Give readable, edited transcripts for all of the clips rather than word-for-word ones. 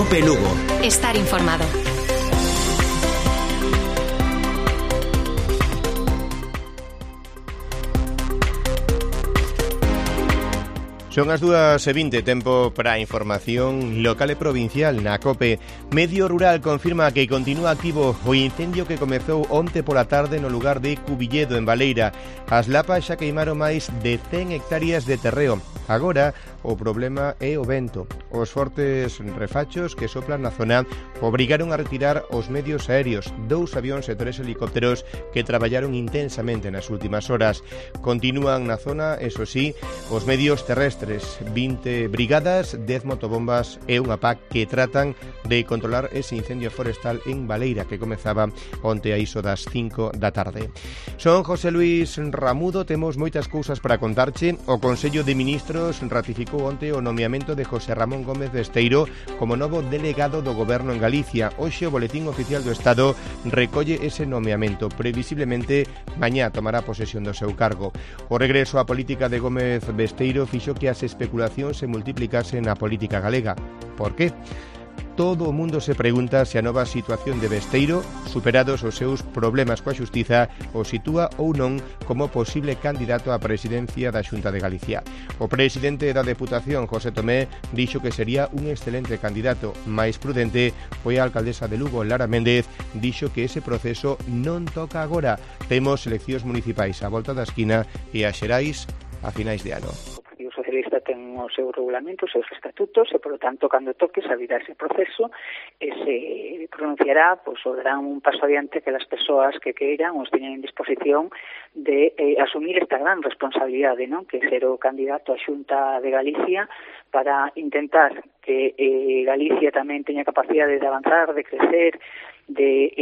COPE Lugo. Estar informado. Son as 2:20, tempo para a información local e provincial na COPE. Medio Rural confirma que continúa activo o incendio que comezou onte pola tarde no lugar de Cubilledo, en Baleira. As lapas xa queimaron máis de 100 hectáreas de terreo. Agora, o problema é o vento. Os fortes refachos que soplan na zona obrigaron a retirar os medios aéreos, 2 avións e 3 helicópteros que traballaron intensamente nas últimas horas. Continúan na zona, eso sí, os medios terrestres, 20 brigadas, 10 motobombas e unha PAC que tratan de controlar ese incendio forestal en Baleira que comezaba onte a iso das 5 da tarde. Son José Luis Ramudo, temos moitas cousas para contarche. O Consello de Ministros ratificou onte o nomeamento de José Ramón Gómez Besteiro como novo delegado do Goberno en Galicia. Hoxe o Boletín Oficial do Estado recolle ese nomeamento. Previsiblemente, mañá tomará posesión do seu cargo. O regreso á política de Gómez Besteiro fixo que as especulacións se multiplicasen na política galega. Por qué? Todo o mundo se pregunta se a nova situación de Besteiro, superados os seus problemas coa xustiza, o sitúa ou non como posible candidato á presidencia da Xunta de Galicia. O presidente da Deputación, José Tomé, dixo que sería un excelente candidato. Mais prudente foi a alcaldesa de Lugo, Lara Méndez, dixo que ese proceso non toca agora. Temos eleccións municipais á volta da esquina e as xerais a finais de ano. O Socialista ten o seu regulamento, os seus estatutos e, por lo tanto, cando toque sabirá ese proceso e se pronunciará, pois, o darán un paso adiante que as persoas que queiran os teñen en disposición de asumir esta gran responsabilidade, non? Que ser o candidato á Xunta de Galicia para intentar que Galicia tamén teña capacidade de avanzar, de crecer, de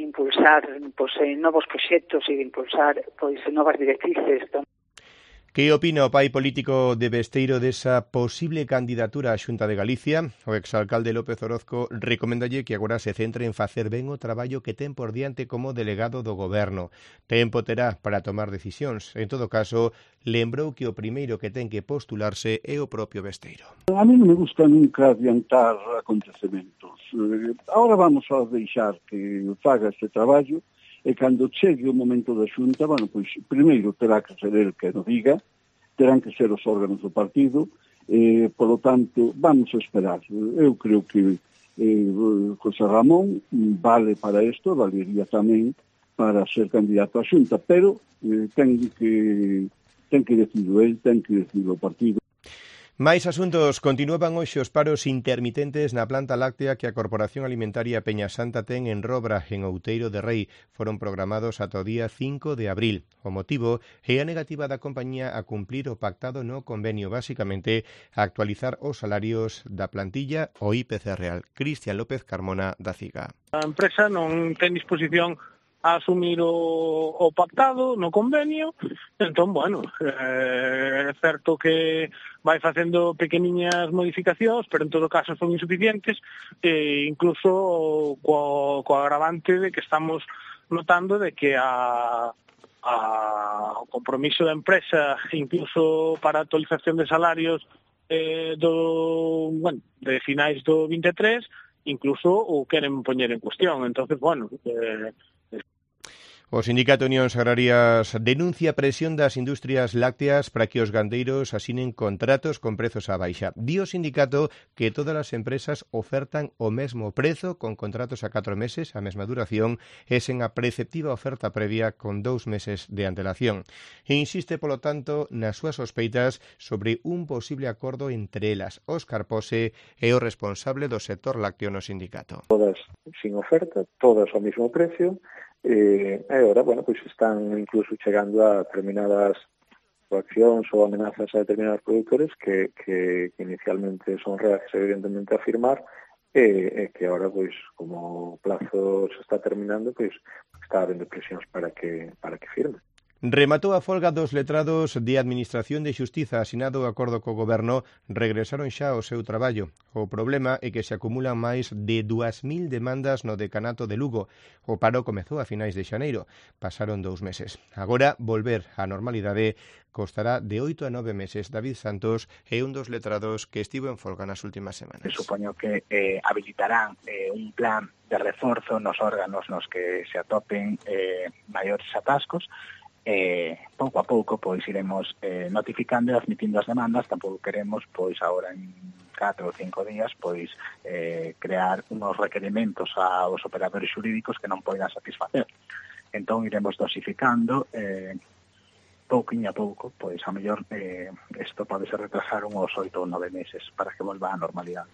impulsar pois, novos proxectos e de impulsar pois, novas directrices. Que opina o pai político de Besteiro desa posible candidatura á Xunta de Galicia? O exalcalde López Orozco recomendalle que agora se centre en facer ben o traballo que ten por diante como delegado do Goberno. Tempo terá para tomar decisións. En todo caso, lembrou que o primeiro que ten que postularse é o propio Besteiro. A mí non me gusta nunca adiantar acontecementos. Ahora vamos a deixar que faga este traballo e cando chegue o momento da Xunta, bueno, pois, primeiro terá que ser el que nos diga, terán que ser os órganos do partido, polo tanto, vamos a esperar. Eu creo que José Ramón vale para isto, valería tamén para ser candidato á Xunta, pero ten que decidir el, ten que decidir o partido. Mais asuntos. Continuaban hoxe os paros intermitentes na planta láctea que a Corporación Alimentaria Peña Santa ten en Robra, en Outeiro de Rei. Foron programados ata o día 5 de abril. O motivo é a negativa da compañía a cumplir o pactado no convenio, basicamente a actualizar os salarios da plantilla o IPC real. Cristian López Carmona, da CIGA. A empresa non ten disposición a asumir o pactado no convenio, entón, bueno, é certo que vai facendo pequeniñas modificacións, pero en todo caso son insuficientes, e incluso co agravante de que estamos notando de que o compromiso da empresa, incluso para a actualización de salarios de finais do 23, incluso o queren poñer en cuestión. Entonces, bueno, O Sindicato Unións Agrarias denuncia a presión das industrias lácteas para que os gandeiros asinen contratos con prezos á baixa. Di o sindicato que todas as empresas ofertan o mesmo prezo con contratos a 4 meses, a mesma duración, e sen a preceptiva oferta previa con 2 meses de antelación. E insiste, polo tanto, nas súas sospeitas sobre un posible acordo entre elas. Óscar Pose é o responsable do sector lácteo no sindicato. Todas sin oferta, todas ao mesmo precio, e agora, bueno, pois están incluso chegando a determinadas coaccións ou amenazas a determinados produtores que inicialmente son reacios evidentemente a firmar e que agora, pois, como o plazo se está terminando, pois está habendo presións para que firmen. Rematou a folga dos letrados de Administración de Xustiza. Asinado o acordo co Goberno, regresaron xa ao seu traballo. O problema é que se acumulan máis de 2.000 demandas no decanato de Lugo. O paro comezou a finais de xaneiro. Pasaron 2 meses. Agora, volver á normalidade costará de 8 a 9 meses. David Santos é un dos letrados que estivo en folga nas últimas semanas. Supoño que habilitarán un plan de reforzo nos órganos nos que se atopen maiores atascos. Pouco a pouco pois iremos notificando e admitindo as demandas. Tampouco queremos pois agora en 4 ou 5 días pois crear unos requerimentos aos operadores xurídicos que non poidan satisfacer. Entón iremos dosificando pouquinho a pouco, pois a mellor isto pode ser retrasar uns 8 ou 9 meses para que volva á normalidade.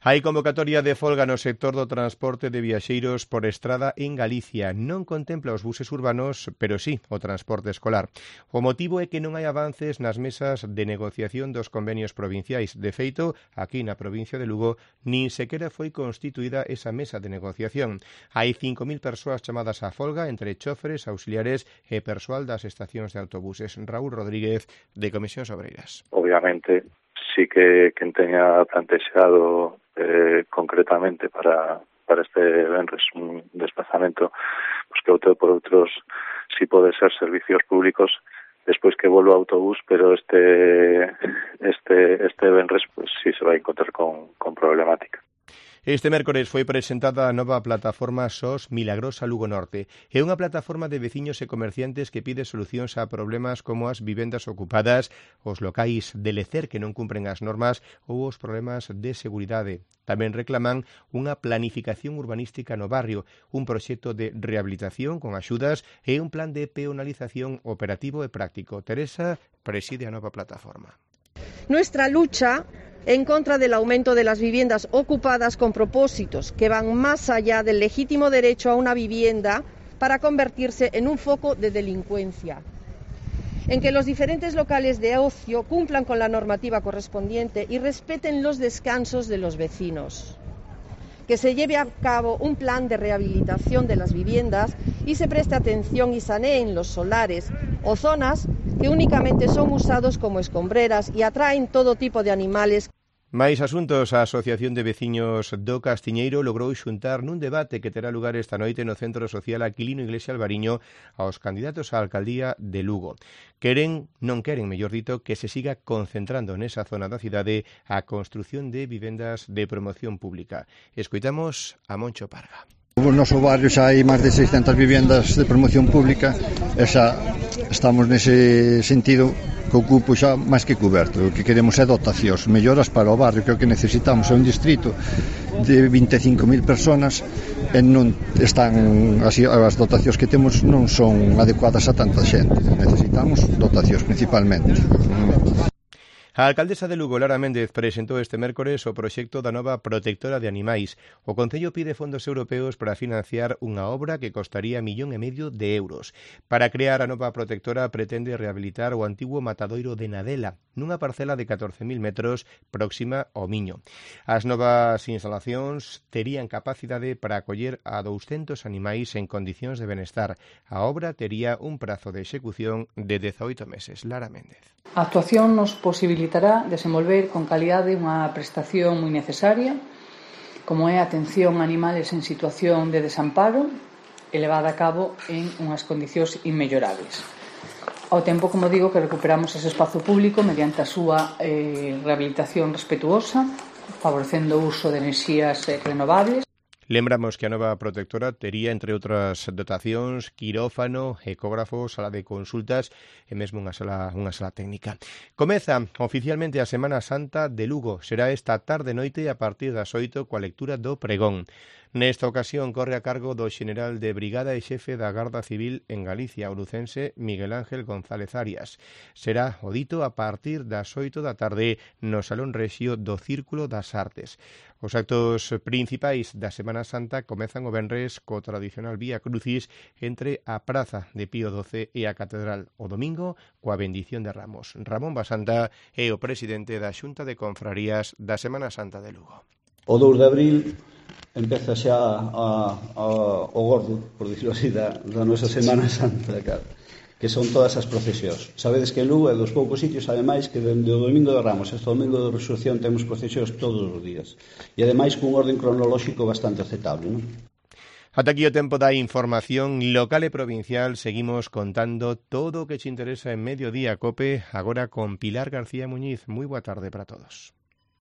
Hai convocatoria de folga no sector do transporte de viaxeiros por estrada en Galicia. Non contempla os buses urbanos, pero sí o transporte escolar. O motivo é que non hai avances nas mesas de negociación dos convenios provinciais. De feito, aquí na provincia de Lugo, nin sequera foi constituída esa mesa de negociación. Hai 5.000 persoas chamadas á folga, entre choferes, auxiliares e persoal das estacións de autobuses. Raúl Rodríguez, de Comisións Obreiras. Obviamente, sí que quen teña plantexado concretamente para este venres un desplazamento, pues que opte por outros, si pode ser servicios públicos, despois que volva autobús, pero este venres pues sí se vai encontrar con problemática. Este mércores foi presentada a nova plataforma SOS Milagrosa Lugo Norte. É unha plataforma de veciños e comerciantes que pide solucións a problemas como as vivendas ocupadas, os locais de lecer que non cumpren as normas ou os problemas de seguridade. Tamén reclaman unha planificación urbanística no barrio, un proxecto de rehabilitación con axudas e un plan de peonalización operativo e práctico. Teresa preside a nova plataforma. Nuestra lucha en contra del aumento de las viviendas ocupadas con propósitos que van más allá del legítimo derecho a una vivienda para convertirse en un foco de delincuencia. En que los diferentes locales de ocio cumplan con la normativa correspondiente y respeten los descansos de los vecinos. Que se lleve a cabo un plan de rehabilitación de las viviendas y se preste atención y saneen los solares o zonas que únicamente son usados como escombreras y atraen todo tipo de animales. Máis asuntos. A Asociación de Veciños do Castiñeiro logrou xuntar nun debate que terá lugar esta noite no Centro Social Aquilino Iglesia Alvariño aos candidatos á alcaldía de Lugo. Non queren, mellor dito, que se siga concentrando nesa zona da cidade a construción de vivendas de promoción pública. Escoitamos a Moncho Parga. No noso barrio xa hai máis de 600 vivendas de promoción pública e xa estamos nese sentido que o cupo xa máis que coberto. O que queremos é dotacións, melloras para o barrio, que é o que necesitamos. É un distrito de 25.000 personas e non están así, as dotacións que temos non son adecuadas a tanta xente. Necesitamos dotacións principalmente. A alcaldesa de Lugo, Lara Méndez, presentou este mércores o proxecto da nova protectora de animais. O Concello pide fondos europeos para financiar unha obra que costaría 1,5 millóns de euros. Para crear a nova protectora pretende rehabilitar o antigo matadoiro de Nadela, nunha parcela de 14.000 metros próxima ao Miño. As novas instalacións terían capacidade para acoller a 200 animais en condicións de benestar. A obra tería un prazo de execución de 18 meses. Lara Méndez. A actuación nos posibilitará desenvolver con calidade unha prestación moi necesaria, como é a atención a animales en situación de desamparo, elevada a cabo en unhas condicións inmellorables. Ao tempo, como digo, que recuperamos ese espazo público mediante a súa rehabilitación respetuosa, favorecendo o uso de enerxías renovables. Lembramos que a nova protectora tería, entre outras dotacións, quirófano, ecógrafo, sala de consultas e mesmo unha sala técnica. Comeza oficialmente a Semana Santa de Lugo. Será esta tarde-noite a partir das 8 coa lectura do pregón. Nesta ocasión corre a cargo do xeneral de brigada e xefe da Garda Civil en Galicia, o lucense Miguel Ángel González Arias. Será o dito a partir das 8 da tarde no Salón Rexio do Círculo das Artes. Os actos principais da Semana Santa comezan o venres co tradicional Vía Crucis entre a Praza de Pío XII e a Catedral. O domingo coa bendición de Ramos. Ramón Basanta é o presidente da Xunta de Confrarías da Semana Santa de Lugo. O 2 de abril empeza xa o gordo, por dicirlo así, da nosa Semana Santa, claro. que son todas as procesións. Sabedes que Lugo é dos poucos sitios, ademais, que dende o Domingo de Ramos hasta o Domingo de Resurrección temos procesións todos os días. E ademais cun orden cronolóxico bastante aceptable, non? Ata aquí o tempo da información local e provincial. Seguimos contando todo o que te interesa en Mediodía Cope, agora con Pilar García Muñiz. Moi boa tarde para todos.